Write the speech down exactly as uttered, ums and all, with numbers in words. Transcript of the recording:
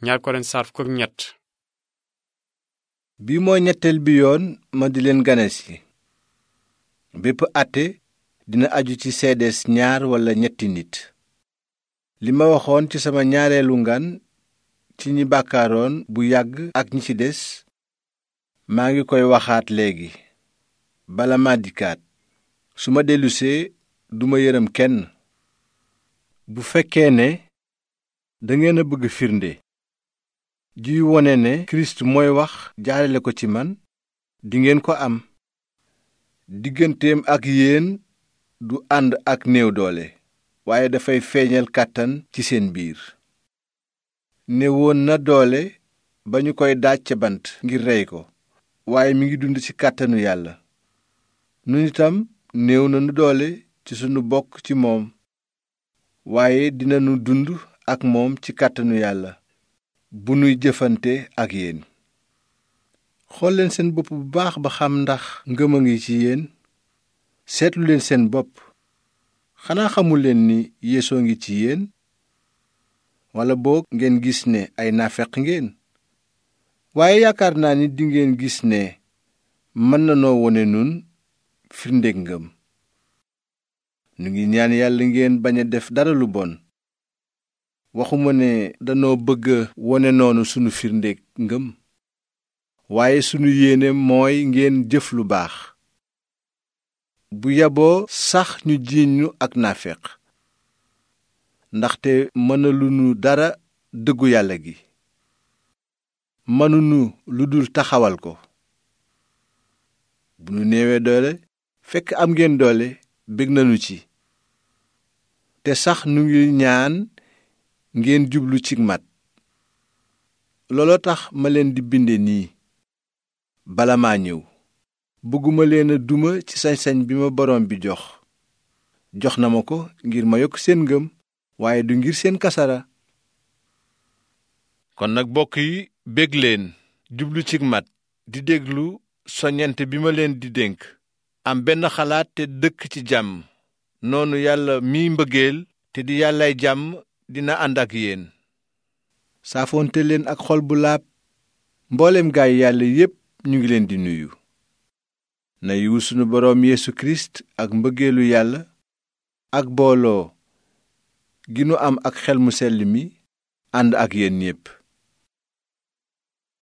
ñaar Korent saar fukk ak ñett. bi mooy ñetteel bi yoon ma di leen ganesi. bépp àtte dina aju ci seedees ñaar walla ñetti nit. li ma waxoon ci sama ñaareelu ngan ci ñi bàkkaaroon bu yàgg ak ñi ci des maa ngi koy waxaat léegi bala ma dikkaat. su ma dellusee duma yërëm kenn. bu fekkee ne dangeen a bëgg firnde juy wone ne kirist mooy wax jaarale ko ci man dingeen ko am. digganteem ak yéen du ànd ak néew doole waaye dafay feeñal kàttan ci seen biir. néewoon na doole ba ñu koy daaj ca bant ngir rey ko waaye mi ngi dund ci kàttanu yàlla. nun itam néew nanu doole ci sunu bokk ci moom waaye dinanu dund ak moom ci kàttanu yàlla bu nuy jëfante ak yéen. xool leen seen bopp bu baax ba xam ndax ngëm a ngi ci yéen. seetlu leen seen bopp xanaa xamul leen ni Yeesoo ngi ci yéen. walla boog ngeen gis ne ay naafeq ngeen. waaye yaakaar naa ni dingeen gis ne mën nanoo wone nun firndeg ngëm. nu ngi ñaan yàlla ngeen bañ a def dara lu bon. waxuma ne danoo bëgg wone noonu sunu firndeg ngëm waaye sunu yéene mooy ngeen jëf lu baax. bu yaboo sax ñu jiiñ ñu ak naafeq ndaxte mënaluñu dara dëggu yàlla gi. mënuñu lu dul taxawal ko. bu nu néewee doole fekk am ngeen doole bég nañu ci. te sax nu ngi ñaan ngeen jublu ci mat. looloo tax ma leen di binde nii bala maa ñëw. bëgguma leen a duma ci sañ-sañ bi ma boroom bi jox. jox na ma ko ngir ma yokk seen ngëm waaye du ngir seen kasara. kon nag bokk yi bég leen jublu ci mat di déglu soññante bi ma leen di dénk. am benn xalaat te dëkk ci jàmm. noonu yàlla miy mbëggeel te di yàllay jàmm dina ànd ak yéen. saafoonte leen ak xol bu laab. mboolem gaay yàlla yépp ñu ngi leen di nuyu. na yiwu sunu boroom Yeesu Kirist ak mbëggeelu yàlla ak booloo gi nu am ak xel mu sell mi ànd ak yéen ñépp.